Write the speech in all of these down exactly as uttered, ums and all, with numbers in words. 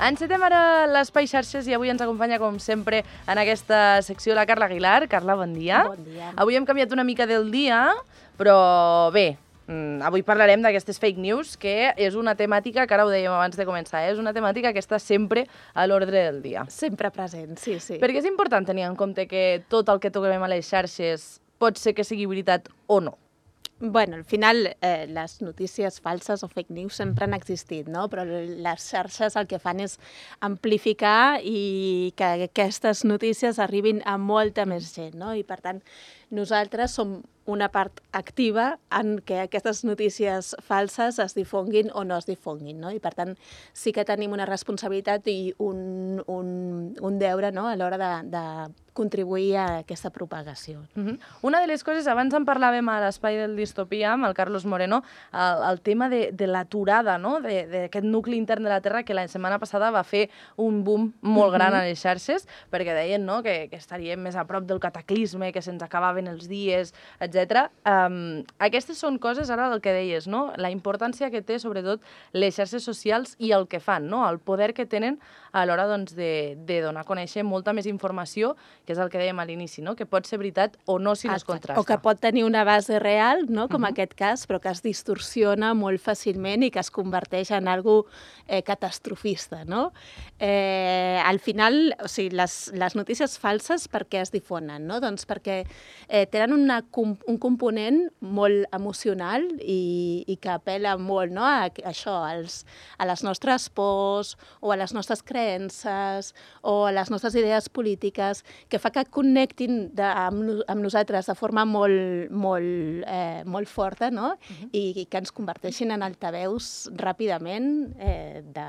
Encetem ara l'Espai Xarxes i avui ens acompanya, com sempre, en aquesta secció la Carla Aguilar. Carla, bon dia. Bon dia. Avui hem canviat una mica del dia, però bé, avui parlarem d'aquestes fake news, que és una temàtica, que ara ho dèiem abans de començar, és una temàtica que està sempre a l'ordre del dia. Sempre present, sí, sí. Perquè és important tenir en compte que tot el que toquem a les xarxes pot ser que sigui veritat o no. Bueno, al final eh, les notícies falses o fake news sempre han existit, no? Però les xarxes el que fan és amplificar i que aquestes notícies arribin a molta més gent, no? I per tant, nosaltres som una part activa en què aquestes notícies falses es difonguin o no es difonguin, no? I per tant, sí que tenim una responsabilitat i un, un, un deure, no?, a l'hora de, de contribuir a aquesta propagació. Uh-huh. Una de les coses, abans en parlàvem a l'espai del Distopia amb el Carlos Moreno, el, el tema de, de l'aturada, no?, d'aquest nucli intern de la Terra que la setmana passada va fer un boom molt gran a les xarxes, perquè deien, no?, que, que estaríem més a prop del cataclisme, que se'ns acabaven els dies, etcètera. Um, aquestes són coses, ara el que deies, no?, la importància que té, sobretot, les xarxes socials i el que fan, no?, el poder que tenen a l'hora, doncs, de, de donar a conèixer molta més informació, que és el que dèiem a l'inici, no?, que pot ser veritat o no si no es contrasta. O que pot tenir una base real, no?, com uh-huh. aquest cas, però que es distorsiona molt fàcilment i que es converteix en algo eh, catastrofista, no? Eh, al final, o sigui, les, les notícies falses per què es difonen, no? Doncs perquè eh, tenen una, un component molt emocional i, i que apel·la molt, no?, a, a això, als, a les nostres pors o a les nostres creences o a les nostres idees polítiques, que fa que connectin de, amb, amb nosaltres de forma molt, molt, eh, molt forta, no? Uh-huh. I, i que ens converteixin en altaveus ràpidament eh, de,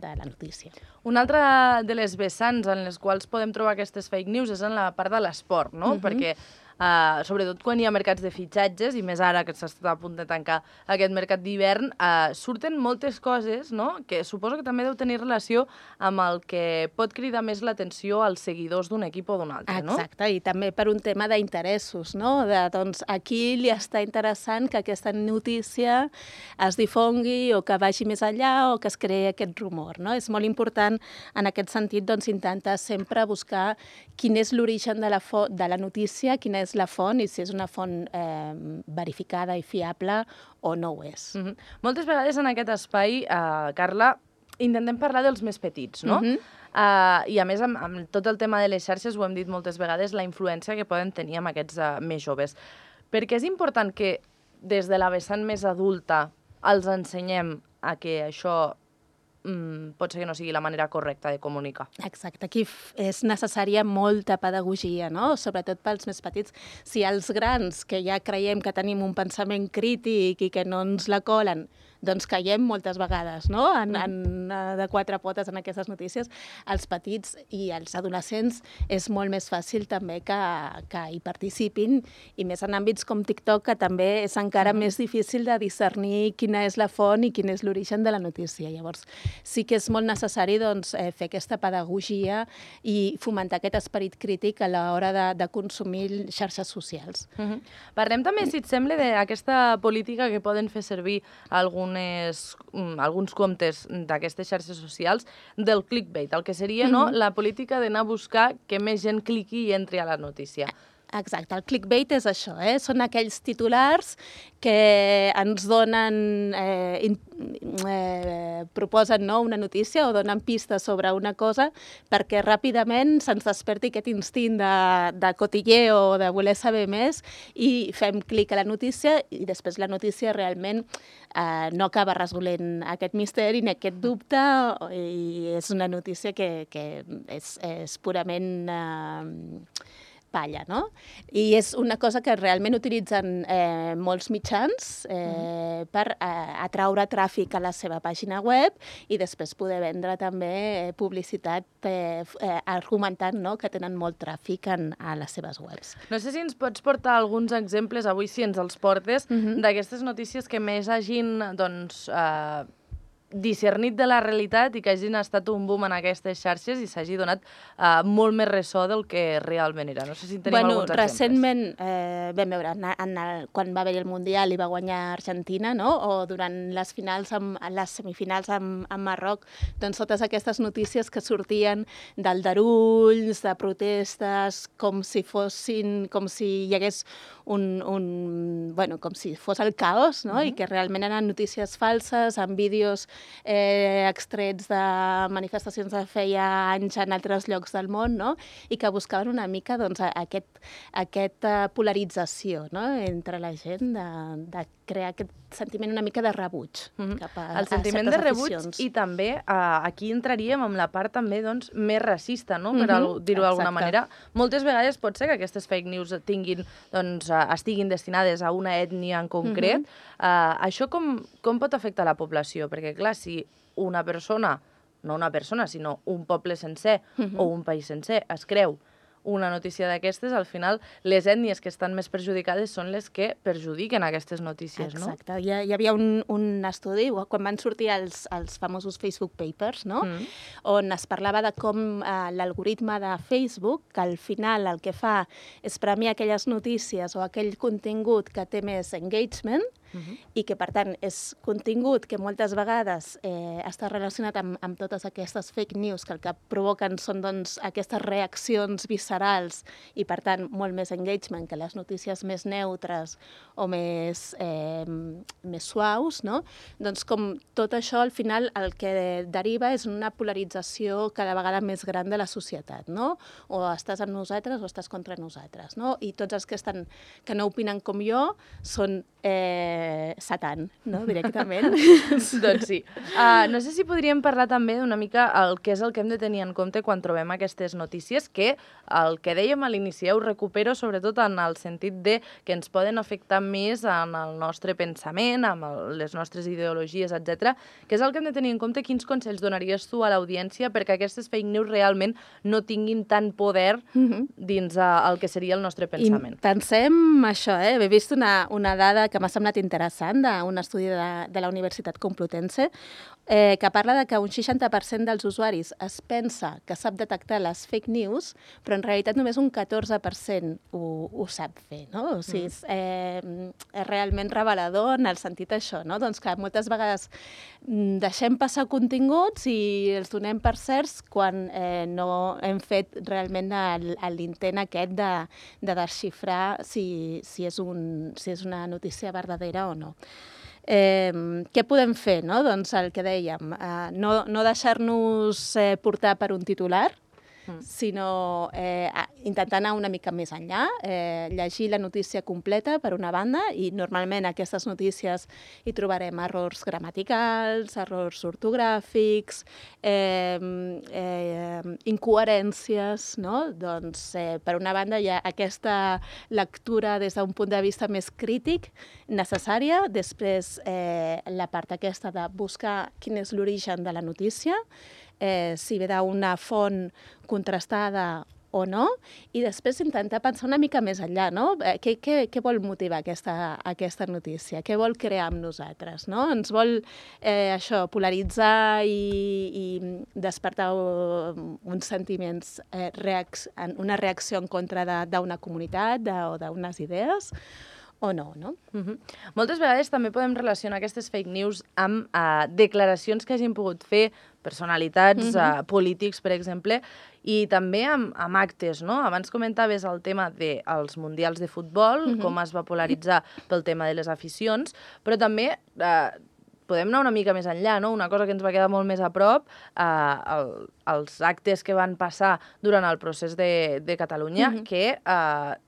de la notícia. Una altra de les vessants en les quals podem trobar aquestes fake news és en la part de l'esport, no? Uh-huh. Perquè Uh, sobretot quan hi ha mercats de fitxatges, i més ara que s'està a punt de tancar aquest mercat d'hivern, uh, surten moltes coses, no?, que suposo que també deu tenir relació amb el que pot cridar més l'atenció als seguidors d'un equip o d'un altre, no? Exacte, i també per un tema d'interessos, no?, de, doncs, a qui li està interessant que aquesta notícia es difongui o que vagi més enllà o que es creï aquest rumor, no? És molt important, en aquest sentit, doncs, intentar sempre buscar quin és l'origen de la, de la notícia, quina és la font i si és una font eh, verificada i fiable o no ho és. Mm-hmm. Moltes vegades en aquest espai, eh, Carla, intentem parlar dels més petits, no? Mm-hmm. uh, I a més, amb, amb tot el tema de les xarxes, ho hem dit moltes vegades, la influència que poden tenir amb aquests uh, més joves. Perquè és important que des de la vessant més adulta els ensenyem a que això Mm, pot ser que no sigui la manera correcta de comunicar. Exacte, aquí és necessària molta pedagogia, no?, sobretot pels més petits. Si els grans, que ja creiem que tenim un pensament crític i que no ens la colen, doncs caiem moltes vegades, no?, en, en, de quatre potes en aquestes notícies. Els petits i els adolescents és molt més fàcil també que, que hi participin, i més en àmbits com TikTok, que també és encara mm-hmm. més difícil de discernir quina és la font i quin és l'origen de la notícia. Llavors, sí que és molt necessari, doncs, eh, fer aquesta pedagogia i fomentar aquest esperit crític a l'hora de, de consumir xarxes socials. Mm-hmm. Parlem també, si et sembla, d'aquesta política que poden fer servir algun Unes, um, alguns comptes d'aquestes xarxes socials del clickbait, el que seria mm-hmm. no, la política d'anar a buscar que més gent cliqui i entri a la notícia. Exacte, el clickbait és això, eh? Són aquells titulars que ens donen, eh, in, eh, proposen, no, una notícia o donen pistes sobre una cosa perquè ràpidament se'ns desperti aquest instint de, de cotilleo o de voler saber més i fem clic a la notícia i després la notícia realment eh, no acaba resolent aquest misteri ni aquest dubte i és una notícia que, que és, és purament Eh, palla, no? I és una cosa que realment utilitzen eh, molts mitjans eh, mm. per eh, atraure tràfic a la seva pàgina web i després poder vendre també eh, publicitat eh, eh, argumentant, no?, que tenen molt tràfic en, a les seves webs. No sé si ens pots portar alguns exemples, avui si ens els portes, mm-hmm. d'aquestes notícies que més hagin, doncs, eh, discernit de la realitat i que hagin estat un boom en aquestes xarxes i s'hagi donat uh, molt més ressò del que realment era. No sé si en tenim bueno, alguns exemples. Recentment, eh, vam veure, en, en el, quan va haver el Mundial i va guanyar Argentina, no? O durant les finals, amb, les semifinals amb, amb Marroc, doncs totes aquestes notícies que sortien d'aldarulls, de protestes, com si fossin, com si hi hagués un, un bueno, com si fos el caos, no? Uh-huh. I que realment eren notícies falses, amb vídeos eh, extrets de manifestacions de feia anys en altres llocs del món, no? I que buscaven una mica doncs, aquest, aquesta polarització, no? Entre la gent, de, de crear aquest sentiment una mica de rebuig mm-hmm. cap a, el sentiment a de rebuig aficions. I també eh, aquí entraríem amb la part també doncs, més racista, no? Per mm-hmm. dir-ho d'alguna manera. Moltes vegades pot ser que aquestes fake news tinguin, doncs, estiguin destinades a una ètnia en concret. Mm-hmm. eh, això com, com pot afectar la població? Perquè, clar, si una persona, no una persona, sinó un poble sencer mm-hmm. o un país sencer es creu una notícia d'aquestes, al final les ètnies que estan més perjudicades són les que perjudiquen aquestes notícies, no? Exacte. Hi, hi havia un, un estudi, quan van sortir els, els famosos Facebook Papers, no? Mm. On es parlava de com eh, l'algoritme de Facebook, que al final el que fa és premiar aquelles notícies o aquell contingut que té més engagement, Uh-huh. i que, per tant, és contingut que moltes vegades eh, està relacionat amb, amb totes aquestes fake news que el que provoquen són doncs, aquestes reaccions viscerals i, per tant, molt més engagement que les notícies més neutres o més, eh, més suaus, no? Doncs com tot això, al final, el que deriva és una polarització cada vegada més gran de la societat, no? O estàs amb nosaltres o estàs contra nosaltres, no? I tots els que, estan, que no opinen com jo són eh, Satan, no? Directament. Doncs sí. Uh, no sé si podríem parlar també d'una mica el que és el que hem de tenir en compte quan trobem aquestes notícies, que el que dèiem a l'inici ho recupero sobretot en el sentit de que ens poden afectar més en el nostre pensament, amb el, les nostres ideologies, etcètera. Que és el que hem de tenir en compte? Quins consells donaries tu a l'audiència perquè aquestes fake news realment no tinguin tant poder mm-hmm. dins uh, el que seria el nostre pensament? I pensem això, eh? He vist una, una dada que m'ha semblat interessant d'un estudi de, de la Universitat Complutense eh, que parla de que un seixanta per cent dels usuaris es pensa que sap detectar les fake news, però en realitat només un catorze per cent ho, ho sap fer, no? O sigui, és, eh, és realment revelador en el sentit això, no? Doncs que moltes vegades deixem passar continguts i els donem per certs quan eh, no hem fet realment l'intent aquest de, de desxifrar si, si, és un, si és una notícia verdadera o no. Eh, què podem fer? No? Doncs el que dèiem, eh, no, no deixar-nos eh, portar per un titular, mm. sinó eh, intentar anar una mica més enllà, eh, llegir la notícia completa per una banda, i normalment aquestes notícies hi trobarem errors gramaticals, errors ortogràfics, eh, eh, incoherències, no? Doncs eh, per una banda hi ha aquesta lectura des d'un punt de vista més crític necessària, després eh, la part aquesta de buscar quin és l'origen de la notícia, eh, si ve d'una font contrastada o no, i després intentar pensar una mica més enllà, no? Eh, què, què, què vol motivar aquesta, aquesta notícia? Què vol crear amb nosaltres, no? Ens vol eh, això, polaritzar i, i despertar uns sentiments, eh, reac una reacció en contra d'una comunitat de, o d'unes idees, o no, no? Uh-huh. Moltes vegades també podem relacionar aquestes fake news amb uh, declaracions que hagin pogut fer personalitats uh-huh. uh, polítics, per exemple, i també amb, amb actes, no? Abans comentaves el tema dels mundials de futbol, uh-huh. com es va polaritzar pel tema de les aficions, però també uh, podem anar una mica més enllà, no? Una cosa que ens va quedar molt més a prop, uh, el, els actes que van passar durant el procés de, de Catalunya, uh-huh. que uh,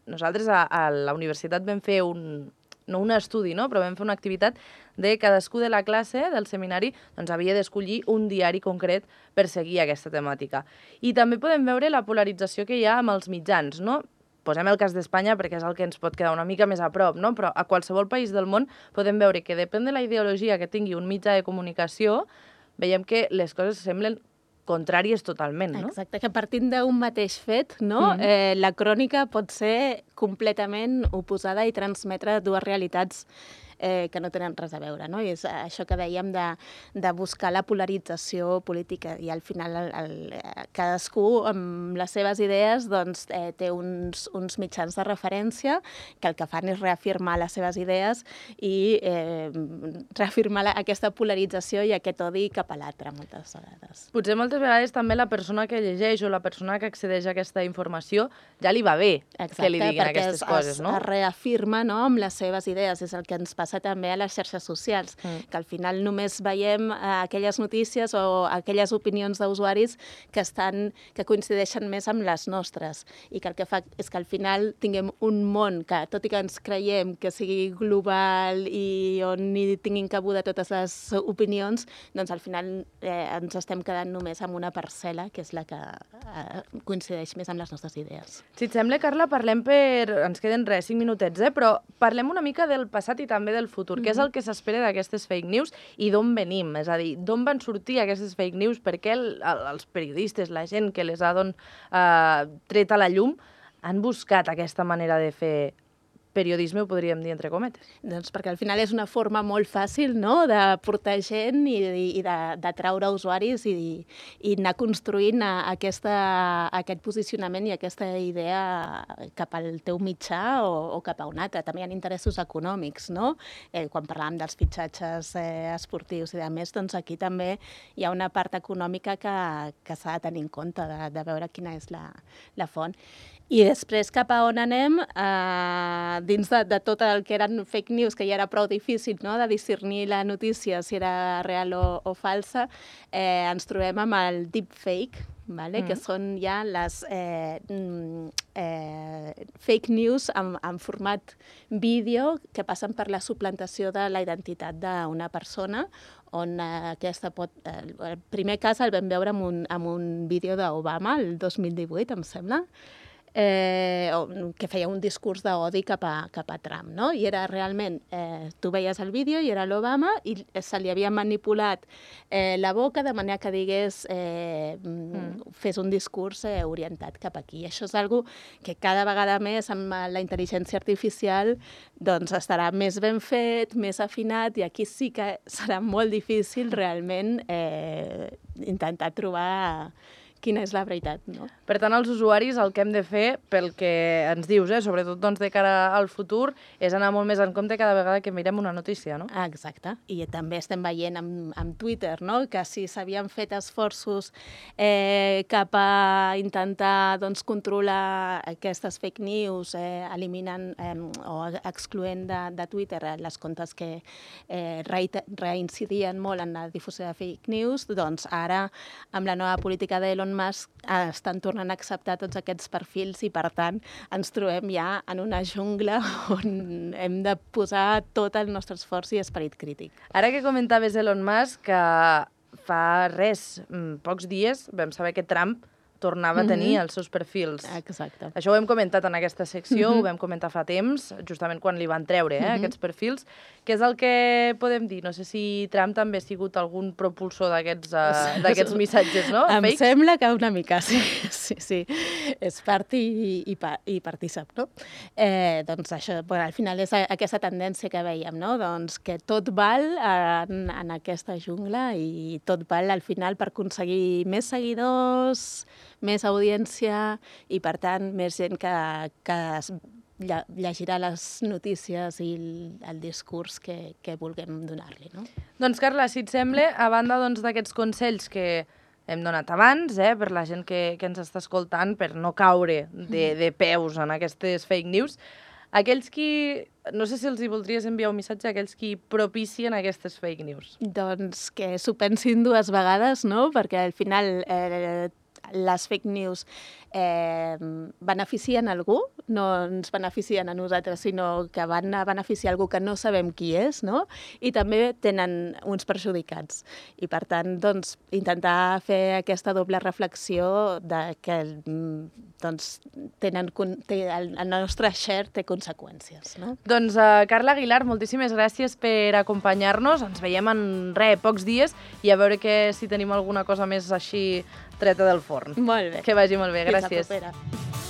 nosaltres a, a la universitat vam fer un, no un estudi, no? Però vam fer una activitat de cadascú de la classe del seminari doncs, havia d'escollir un diari concret per seguir aquesta temàtica. I també podem veure la polarització que hi ha amb els mitjans, no? Posem el cas d'Espanya perquè és el que ens pot quedar una mica més a prop, no? Però a qualsevol país del món podem veure que depèn de la ideologia que tingui un mitjà de comunicació, veiem que les coses semblen contràries totalment, no? Exacte, que partint d'un mateix fet, no? Mm-hmm. eh, la crònica pot ser completament oposada i transmetre dues realitats eh, que no tenen res a veure, no? I és això que dèiem de, de buscar la polarització política i al final el, el, cadascú amb les seves idees doncs, eh, té uns, uns mitjans de referència que el que fan és reafirmar les seves idees i eh, reafirmar la, aquesta polarització i aquest odi cap a l'altre moltes vegades. Potser moltes vegades també la persona que llegeix o la persona que accedeix a aquesta informació ja li va bé Exacte, que li diguin aquestes es, coses, no? es reafirma, no?, amb les seves idees. És el que ens passa també a les xarxes socials, mm. que al final només veiem eh, aquelles notícies o aquelles opinions d'usuaris que, estan, que coincideixen més amb les nostres i que el que fa és que al final tinguem un món que, tot i que ens creiem que sigui global i on hi tinguin cabuda totes les opinions, doncs al final eh, ens estem quedant només amb una parcel·la que és la que eh, coincideix més amb les nostres idees. Si et sembla, Carla, parlem per... Ens queden res, cinc minutets, eh? Però parlem una mica del passat i també del futur. Mm-hmm. Què és el que s'espera d'aquestes fake news i d'on venim? És a dir, d'on van sortir aquestes fake news? Per què el, el, els periodistes, la gent que les ha don, eh, tret a la llum, han buscat aquesta manera de fer periodisme, ho podríem dir entre cometes? Doncs perquè al final és una forma molt fàcil, no?, de portar gent i, i d'atraure usuaris i, i anar construint aquesta, aquest posicionament i aquesta idea cap al teu mitjà o, o cap a un altre. També hi ha interessos econòmics, no? Eh, quan parlàvem dels fitxatges eh, esportius i de més, doncs aquí també hi ha una part econòmica que, que s'ha de tenir en compte, de, de veure quina és la, la font. I després, cap a on anem, eh, dins de, de tot el que eren fake news, que ja era prou difícil, no?, de discernir la notícia si era real o, o falsa, eh, ens trobem amb el deepfake, vale? Mm. que són ja les eh, eh, fake news en, en format vídeo que passen per la suplantació de la identitat d'una persona, on eh, aquesta pot... Eh, el primer cas el vam veure amb un, amb un vídeo d'Obama, el dos mil divuit, em sembla, Eh, que feia un discurs d'odi cap, a, cap a Trump, no? I era realment, eh, tu veies el vídeo i era l'Obama i se li havia manipulat eh, la boca de manera que digués, eh, mm. fes un discurs eh, orientat cap aquí. I això és algo que cada vegada més amb la intel·ligència artificial doncs estarà més ben fet, més afinat, i aquí sí que serà molt difícil realment eh, intentar trobar quina és la veritat, no? Per tant, els usuaris el que hem de fer, pel que ens dius, eh, sobretot doncs, de cara al futur, és anar molt més en compte cada vegada que mirem una notícia, no? Ah, exacte. I també estem veient amb, amb Twitter, no?, que si s'havien fet esforços eh, cap a intentar doncs, controlar aquestes fake news, eh, eliminant eh, o excloent de, de Twitter les comptes que eh, reincidien molt en la difusió de fake news, doncs ara, amb la nova política d'Elon Musk, estan tornant a acceptar tots aquests perfils i, per tant, ens trobem ja en una jungla on hem de posar tot el nostre esforç i esperit crític. Ara que comentaves Elon Musk, que fa res, pocs dies, vam saber que Trump tornava a tenir mm-hmm. els seus perfils. Exacte. Això ho hem comentat en aquesta secció, mm-hmm. ho vam comentar fa temps, justament quan li van treure eh, mm-hmm. aquests perfils. Què és el que podem dir? No sé si Trump també ha sigut algun propulsor d'aquests uh, d'aquests missatges, no? Em Fakes? Sembla que una mica, sí. sí, sí. És part i, i, i partícip, no? Eh, doncs això, bueno, al final és aquesta tendència que veiem, no? Doncs que tot val en, en aquesta jungla i tot val al final per aconseguir més seguidors, més audiència i, per tant, més gent que, que es llegirà les notícies i el, el discurs que, que vulguem donar-li, no? Doncs, Carla, si et sembla, a banda d'aquests doncs, consells que hem donat abans, eh, per la gent que, que ens està escoltant, per no caure de, de peus en aquestes fake news, aquells qui... No sé si els hi voldries enviar un missatge a aquells qui propicien aquestes fake news. Doncs que s'ho pensin dues vegades, no? Perquè al final... Eh, les fake news eh, beneficien algú, no ens beneficien a nosaltres, sinó que van a beneficiar algú que no sabem qui és, no? I també tenen uns perjudicats. I, per tant, doncs, intentar fer aquesta doble reflexió de que doncs, tenen, té, el, el nostre share té conseqüències, no? Doncs, uh, Carla Aguilar, moltíssimes gràcies per acompanyar-nos. Ens veiem en res, pocs dies, i a veure que, si tenim alguna cosa més així treta del forn. Molt bé. Que vagi molt bé, gràcies. Fins la propera.